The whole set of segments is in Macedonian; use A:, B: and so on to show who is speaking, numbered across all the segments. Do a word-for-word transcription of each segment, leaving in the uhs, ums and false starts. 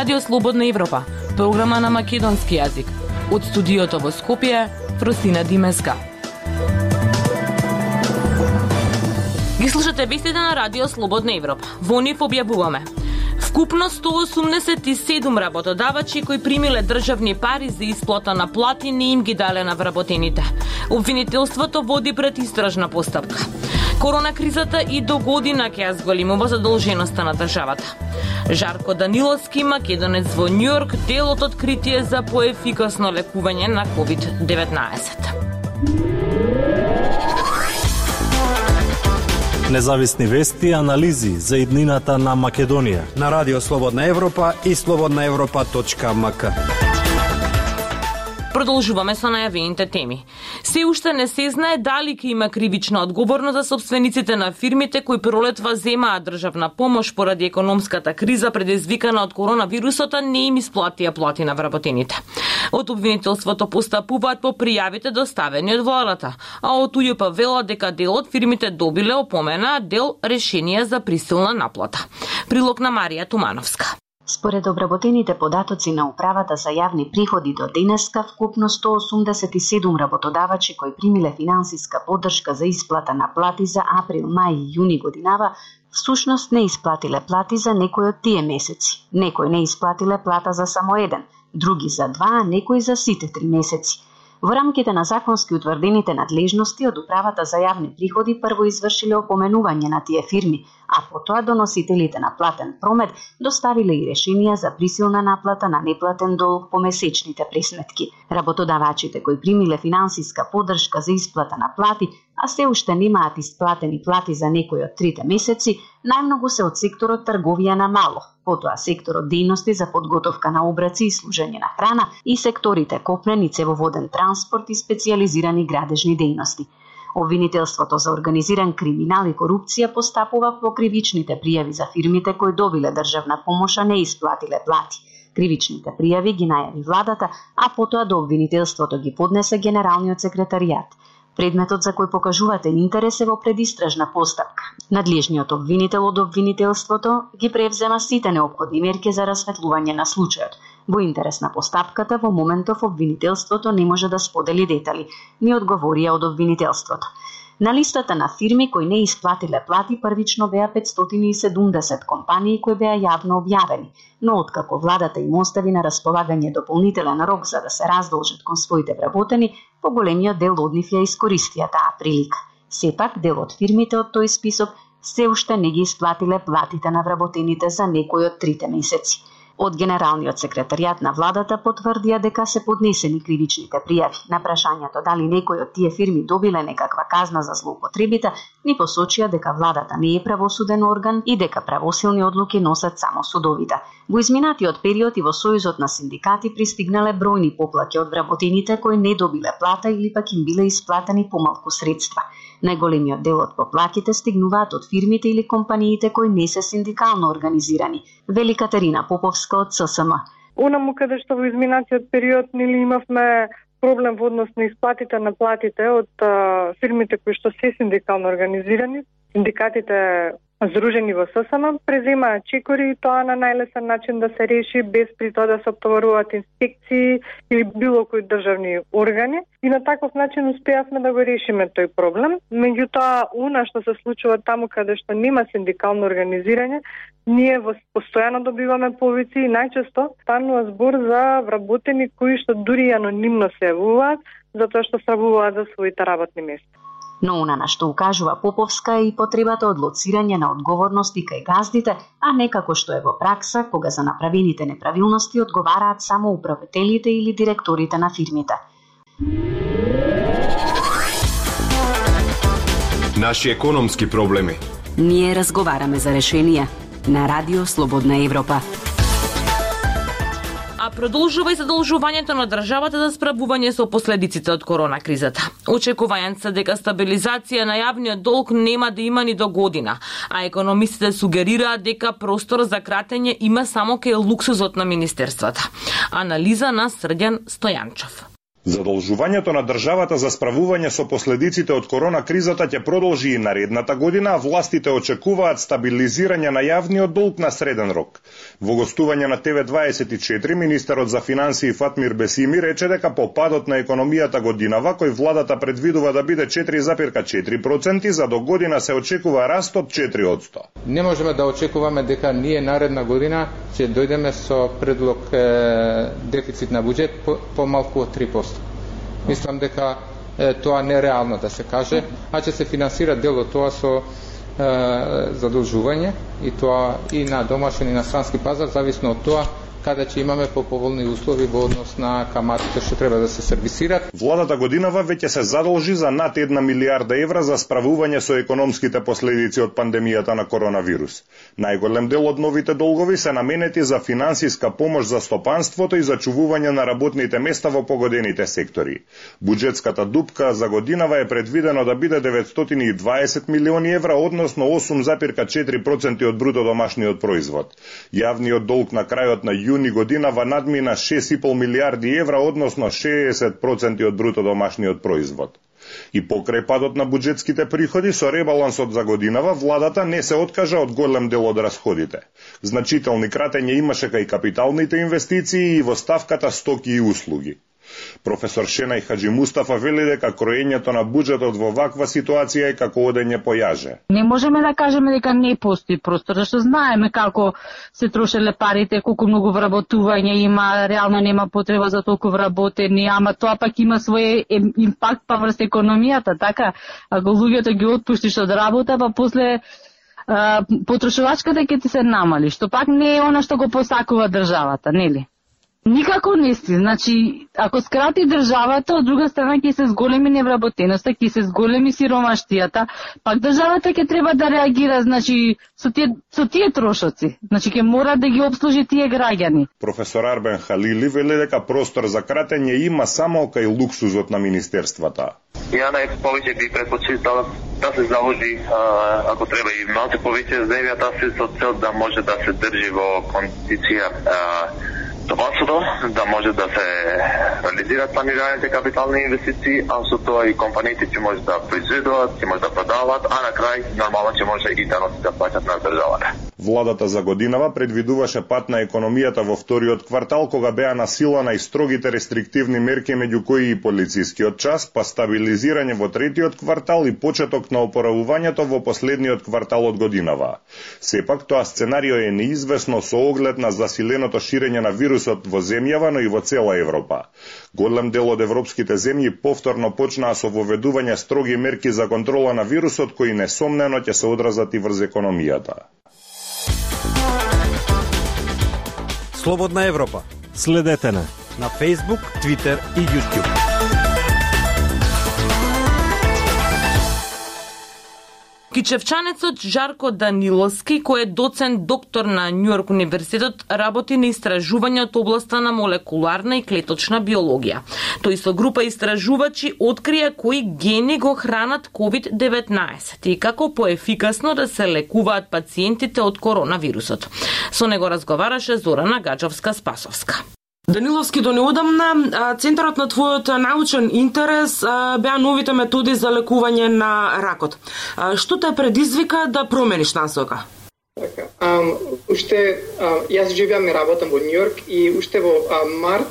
A: Радио Слободна Европа, програма на македонски јазик. Од студиото во Скопје, Фростина Димеска. Ги слушате вестите на Радио Слободна Европа. Во нив објавуваме: вкупно сто осумдесет и седум работодавачи кои примиле државни пари за исплата на плати не им ги дале на вработените. Обвинителството води пред истражна постапка. Корона кризата и до година ќе ја зголемува задолженоста на државата. Жарко Даниловски, македонец во Њујорк, дел од откритие за поефикасно лекување на ковид деветнаесет.
B: Независни вести и анализи за иднината на Македонија
C: на Радио Слободна Европа и слободна европа точка ем ка.
A: Продолжуваме со најавените теми. Се уште не се знае дали ќе има кривична одговорност за собствениците на фирмите кои пролетва земаат државна помош поради економската криза предизвикана од коронавирусот, а не им исплатија плати на вработените. Од обвинителството постапуваат по пријавите доставени од владата, а од УЈП велат дека дел од фирмите добиле опомена, а дел решенија за присилна наплата. Прилог на Марија Тумановска.
D: Според обработените податоци на Управата за јавни приходи до денеска, вкупно сто осумдесет и седум работодавачи кои примиле финансиска поддршка за исплата на плати за април, мај и јуни годинава, всушност не исплатиле плати за некои од тие месеци. Некои не исплатиле плата за само еден, други за два, а некои за сите три месеци. Во рамките на законски утврдените надлежности од Управата за јавни приходи прво извршиле опоменување на тие фирми, а потоа доносителите на платен промет доставиле и решенија за присилна наплата на неплатен долг по месечните пресметки. Работодавачите кои примиле финансиска поддршка за исплата на плати, а се уште немаат исплатени плати за некои од трите месеци, најмногу се од секторот трговија на мало, потоа секторот дејности за подготовка на обраци и служење на храна и секторите копнен и цевоводен транспорт и специјализирани градежни дејности. Обвинителството за организиран криминал и корупција постапува по кривичните пријави за фирмите кои добиле државна помош, а не исплатиле плати. Кривичните пријави ги најави владата, а потоа до обвинителството ги поднесе Генералниот секретаријат. Предметот за кој покажувате интерес е во предистражна постапка. Надлежниот обвинител од обвинителството ги превзема сите неопходни мерки за расветлување на случајот. Во интерес на постапката, во моментов обвинителството не може да сподели детали, ни одговорија од обвинителството. На листата на фирми кои не исплатиле плати првично беа петстотини и седумдесет компании кои беа јавно објавени, но откако владата им остави на располагање дополнителен рок за да се раздолжат кон своите вработени, поголемиот дел од нив ја искористија таа прилика. Сепак, дел од фирмите од тој список се уште не ги исплатиле платите на вработените за некои од трите месеци. Од Генералниот секретаријат на владата потврдија дека се поднесени кривичните пријави. На прашањето дали некој од тие фирми добиле некаква казна за злоупотребите, ни посочија дека владата не е правосуден орган и дека правосилни одлуки носат само судовите. Во изминатиот период и во Сојузот на синдикати пристигнале бројни поплаки од вработените кои не добиле плата или пак им биле исплатени помалку средства. Најголемиот дел од поплаките стигнуваат од фирмите или компаниите кои не се синдикално организирани, вели Катерина Поповска од С С М.
E: Онаму каде што во изминатиот период нели имавме проблем во однос на исплатите на платите од а, фирмите кои што се синдикално организирани, синдикатите здружени во С С М преземаат чекори и тоа на најлесен начин да се реши без при тоа да се оптоваруваат инспекции или било кои државни органи. И на таков начин успеавме да го решиме тој проблем. Меѓутоа, она што се случува таму каде што нема синдикално организирање, ние во постојано добиваме повици и најчесто станува збор за вработени кои што дури анонимно се јавуваат затоа што стравуваат за своите работни места.
D: Но она на што укажува Поповска е и потребата од лоцирање на одговорности кај газдите, а не како што е во пракса, кога за направените неправилности одговараат само управителите или директорите на фирмите.
F: Наши економски проблеми.
G: Ние разговараме за решенија на Радио Слободна Европа.
A: А продолжува и задолжувањето на државата за справување со последиците од корона кризата. Очекувањата се дека стабилизација на јавниот долг нема да има ни до година, а економистите сугерираат дека простор за кратење има само кај луксузот на министерствата. Анализа на Срдјан Стојанчов.
H: Задолжувањето на државата за справување со последиците од корона кризата ќе продолжи и наредната година, а властите очекуваат стабилизирање на јавниот долг на среден рок. Во гостување на Т В дваесет и четири, министерот за финансии Фатмир Бесими рече дека по падот на економијата годинава, кој владата предвидува да биде четири зарез четири проценти, за до година се очекува раст од четири одсто.
I: Не можеме да очекуваме дека ние наредна година ќе дојдеме со предлог е, дефицит на буџет по, по малку од три проценти. Мислам дека е, тоа не е реално да се каже, а ќе се финансира дел од тоа со е, задолжување и тоа и на домашен и на странски пазар, зависно од тоа каде ќе имаме поповолни услови во однос на каматите што треба да се сервисираат.
H: Владата годинава веќе се задолжи за над една милиарда евра за справување со економските последици од пандемијата на коронавирус. Најголем дел од новите долгови се наменети за финансиска помош за стопанството и за чувување на работните места во погодените сектори. Буџетската дупка за годинава е предвидено да биде деветстотини и дваесет милиони евра, односно осум зарез четири проценти од бруто домашниот производ. Јавниот долг на крајот на јуни годинава надмина шест и пол милиарди евра, односно шеесет проценти од бруто домашниот производ. И покрај падот на буџетските приходи, со ребалансот за годинава, владата не се откажа од голем дел од расходите. Значителни кратења имаше кај капиталните инвестиции и во ставката стоки и услуги. Професор Шенај Хаджи Мустафа вели дека кроењето на буџетот во ваква ситуација е како одење по јаже.
J: Не можеме да кажеме дека не постои простор, зашто знаеме како се трошеле парите, колку многу вработување има, реално нема потреба за толку вработени, ама тоа пак има свој импакт па врз економијата, така, ако луѓето ги отпуштиш од работа, па после а, потрошувачката ќе ти се намали, што пак не е она што го посакува државата, нели? Никако не си. Значи, ако скрати државата, од друга страна ќе се зголеми невработеноста, ќе се зголеми сиромаштијата, пак државата ќе треба да реагира, значи, со тие, со тие трошоци. Значи, ќе мора да ги обслужи тие граѓани.
H: Професор Арбен Халили вели дека простор за кратење има само кај луксузот на министерствата.
K: Ја најповеќе би предпочитала да се заложи, а, ако треба и малку повеќе земјата се со цел да може да се држи во кондиција стопанството, да може да се реализираат планираните капитални инвестиции, а со тоа и компаниите ќе може да произведуваат, ќе може да продаваат, а на крај нормално ќе може и даноци да плаќат на државата.
H: Владата за годинава предвидуваше пат на економијата во вториот квартал, кога беа насилана и строгите рестриктивни мерки, меѓу кои и полицискиот час, па стабилизирање во третиот квартал и почеток на опоравувањето во последниот квартал од годинава. Сепак тоа сценарио е неизвестно со оглед на засиленото ширење на вирусот во земјава, но и во цела Европа. Голем дел од европските земји повторно почнаа со воведување строги мерки за контрола на вирусот, кои несомнено ќе се одразат и врз економијата.
C: Слободна Европа.
B: Следете на
C: на Facebook, Twitter и YouTube.
A: Кичевчанецот Жарко Даниловски, кој е доцент доктор на Њујорк универзитетот, работи на истражување од областа на молекуларна и клеточна биологија. Тој со група истражувачи открија кои гени го хранат ковид деветнаесет и како поефикасно да се лекуваат пациентите од коронавирусот. Со него разговараше Зорана Гаджовска-Спасовска.
L: Даниловски, до неодамна центарот на твојот научен интерес беа новите методи за лекување на ракот. Што те предизвика да промениш насока?
M: Така, ам, уште ам, јас живеам и работам во Њујорк и уште во ам, март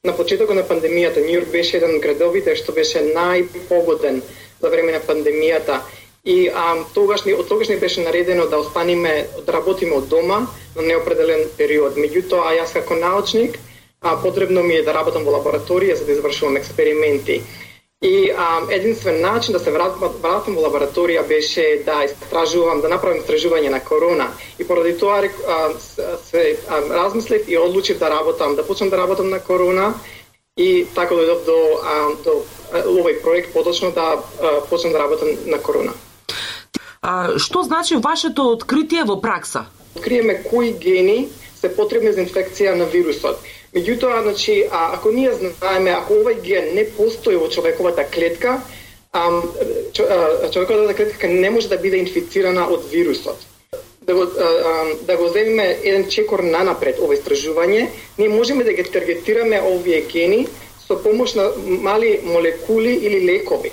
M: на почетокот на пандемијата Њујорк беше еден од градовите што беше најпогоден за време на пандемијата. И ам, тогаш, од тогаш ни беше наредено да останеме, да работиме од дома на неопределен период. Меѓутоа, јас како научник А, потребно ми е да работам во лабораторија за да извршувам експерименти. И а, единствен начин да се вратам, вратам во лабораторија беше да истражувам, да направам истражување на корона. И поради тоа а, се а, размислив и одлучив да работам, да почнам да работам на корона и така дојдов до, а, до а, овој проект, поточно да а, почнам да работам на корона.
L: А, што значи вашето откритие во пракса?
M: Откриеме кои гени се потребни за инфекција на вирусот. Меѓутоа, значи, а, ако ние знаеме, ако овој ген не постои во човековата клетка, а, човековата клетка не може да биде инфицирана од вирусот. Да го, а, да го земеме еден чекор нанапред ова истражување, ние можеме да ги таргетираме овие гени со со помош на мали молекули или лекови.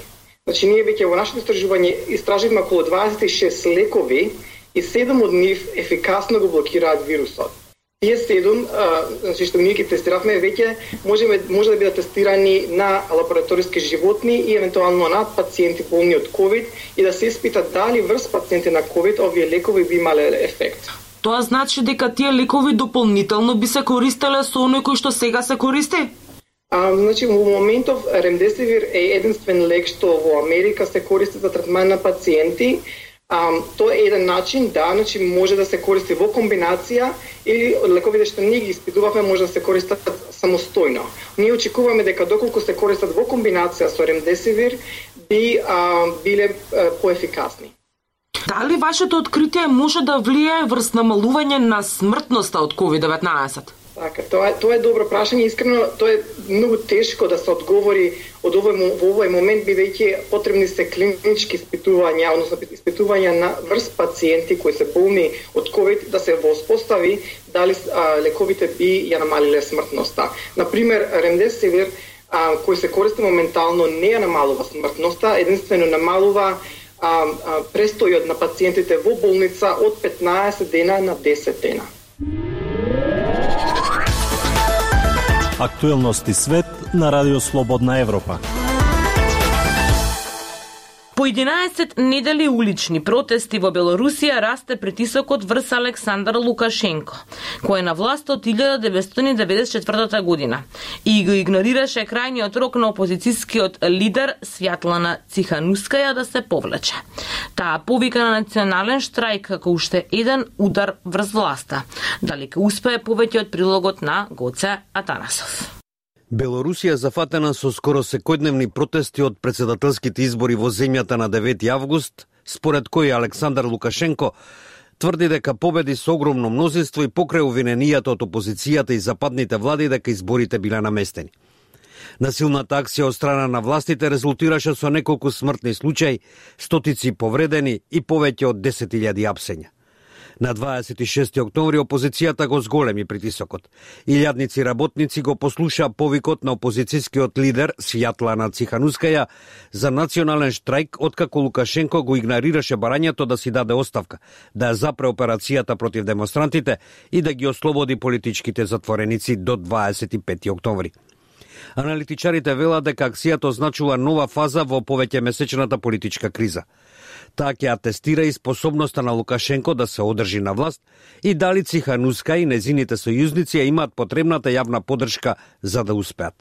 M: Значи, ние веќе во нашето истражување истраживме околу дваесет и шест лекови и седум од нив ефикасно го блокираат вирусот. Тие седум, а, значи што ние ги тестиравме, веќе можеме може да бидат тестирани на лабораториски животни и евентуално на пациенти болни од ковид и да се испита дали врз пациенти на ковид овие лекови би имале ефект.
L: Тоа значи дека тие лекови дополнително би се користеле со оној кој што сега се користи?
M: А, значи, во моментов ремдесивир е единствен лек што во Америка се користи за третман на пациенти. А, тоа е еден начин, да, значи може да се користи во комбинација или лековите што ние ги испитувавме може да се користат самостојно. Ние очекуваме дека доколку се користат во комбинација со ремдесивир би а, биле а, поефикасни.
L: Дали вашето откритие може да влијае врз намалување на смртноста од ковид деветнаесет?
M: Така, тоа е, тоа е добро прашање, искрено тоа е многу тешко да се одговори од овој во овој момент, бидејќи потребни се клинички испитувања, односно испитувања на врз пациенти кои се болни од ковид да се воспостави дали а, лековите би ја намалиле смртноста. Например, ремдесивир а, кој се користи моментално не ја намалува смртноста, единствено намалува а, а, престојот на пациентите во болница од петнаесет дена на десет дена.
B: Актуелности свет на Радио Слободна Европа.
A: По единаесет недели улични протести во Белорусија расте притисокот врз Александар Лукашенко, кој е на власт од илјада деветстотини деветдесет и четвртата година и го игнорираше крајниот рок на опозицијскиот лидер Свјатлана Циханускаја да се повлече. Таа повика на национален штрајк како уште еден удар врз власта. Дали ќе успее повеќе од прилогот на Гоце Атанасов.
C: Белорусија зафатена со скоро секојдневни протести од претседателските избори во земјата на девети август, според кој Александар Лукашенко тврди дека победи со огромно мнозинство и покрај обвиненијата од опозицијата и западните влади дека изборите биле наместени. Насилната акција од страна на властите резултираше со неколку смртни случаи, стотици повредени и повеќе од десет илјади апсења. На дваесет и шести октомври опозицијата го зголеми притисокот. Илјадници работници го послуша повикот на опозицијскиот лидер Свјатлана Циханускаја за национален штрајк, откако Лукашенко го игнорираше барањето да си даде оставка, да ја запре операцијата против демонстрантите и да ги ослободи политичките затвореници до дваесет и пети октомври. Аналитичарите велат дека акцијата означува нова фаза во повеќемесечната политичка криза. Таа ќе атестира и способноста на Лукашенко да се одржи на власт и дали Цихануска и незините сојузници ја имаат потребната јавна поддршка за да успеат.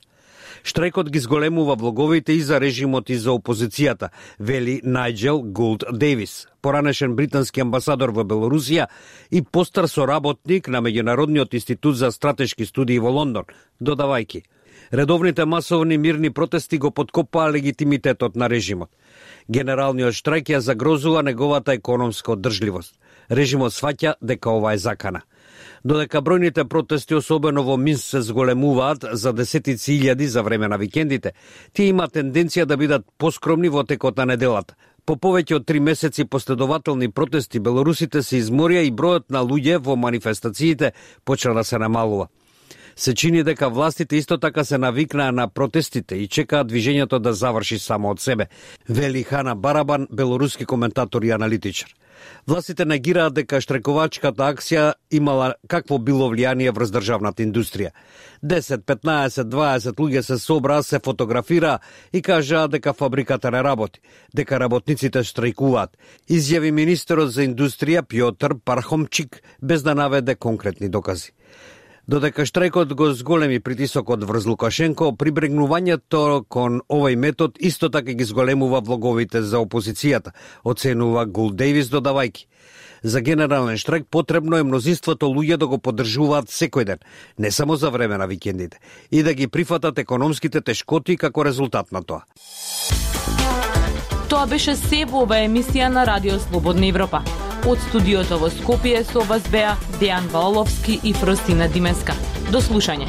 C: Штрајкот ги зголемува влоговите и за режимот и за опозицијата, вели Најджел Гулд Дейвис, поранешен британски амбасадор во Белорусија и постар соработник на Меѓународниот институт за стратешки студии во Лондон, додавајќи: редовните масовни мирни протести го подкопаа легитимитетот на режимот. Генералниот штрајк ја загрозува неговата економска оддржливост. Режимот сваќа дека ова е закана. Додека бројните протести, особено во Минск, се зголемуваат за десетици илјади за време на викендите, тие има тенденција да бидат поскромни во текот на неделата. По повеќе од три месеци последователни протести, белорусите се изморија и бројот на луѓе во манифестациите почна да се намалува. Се чини дека властите исто така се навикнаа на протестите и чекаат движењето да заврши само од себе, вели Хана Барабан, белоруски коментатор и аналитичар. Властите негираат дека штрекувачката акција имала какво било влијание врз државната индустрија. десет, петнаесет, дваесет луѓе се собраа, се фотографираа и кажаа дека фабриката не работи, дека работниците штрајкуваат, изјави министерот за индустрија Пјотр Пархомчик без да наведе конкретни докази. Додека штрајкот го зголеми притисокот врз Лукашенко, прибрегнувањето кон овој метод исто така ги зголемува влоговите за опозицијата, оценува Гул Дейвис, додавајќи: за генерален штрајк потребно е мнозинството луѓе да го поддржуваат секој ден, не само за време на викендите, и да ги прифатат економските тешкоти како резултат на тоа.
A: Тоа беше се во ова емисија на Радио Слободна Европа. Од студиото во Скопје со вас беа Дејан Валовски и Фростина Димеска. До слушање.